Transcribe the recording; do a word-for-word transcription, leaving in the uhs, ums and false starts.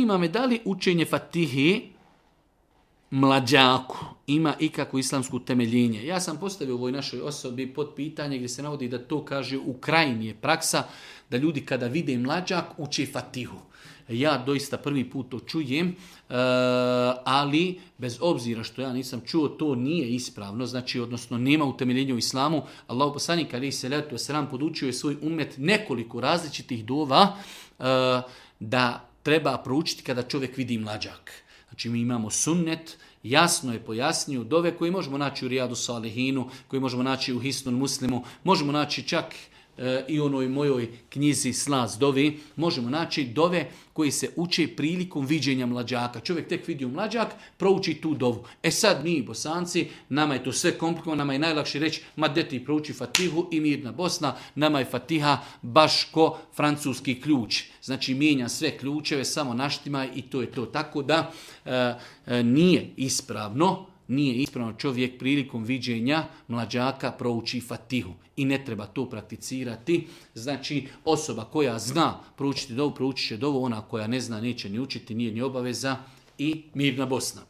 zanima me da li učenje Fatihe mlađaku ima ikakvo islamsko temeljenje. Ja sam postavio ovoj našoj osobi pod pitanje gdje se navodi da to kaže u krajnji je praksa da ljudi kada vide mlađak uče Fatihu. Ja doista prvi put to čujem, e, ali bez obzira što ja nisam čuo, to nije ispravno, znači odnosno nema utemeljenja u islamu. Allahu poslanik alejhi selatu vesselam podučio je svoj ummet nekoliko različitih dova e, da treba proučiti kada čovjek vidi mlađak. Znači mi imamo sunnet, jasno je pojasnio dove koje možemo naći u Rijadu Salihinu, koje možemo naći u Hisnul Muslimu, možemo naći čak e, i onoj mojoj knjizi Slaz dovi, možemo naći dove koji se uče prilikom viđenja mlađaka. Čovjek tek vidio mlađak, prouči tu dovu. E sad mi, Bosanci, nama je to sve komplikovano, nama je najlakše reći, ma deti prouči Fatihu i mirna Bosna, nama je Fatiha baš ko francuski ključ. Znači mijenja sve ključeve, samo naštima i to je to. Tako da e, e, nije ispravno, nije ispravno čovjek prilikom viđenja mlađaka prouči Fatihu. I ne treba to prakticirati. Znači osoba koja zna proučiti dovu, proučit će dovu, ona koja ne zna neće ni učiti, nije ni obaveza i mirna Bosna.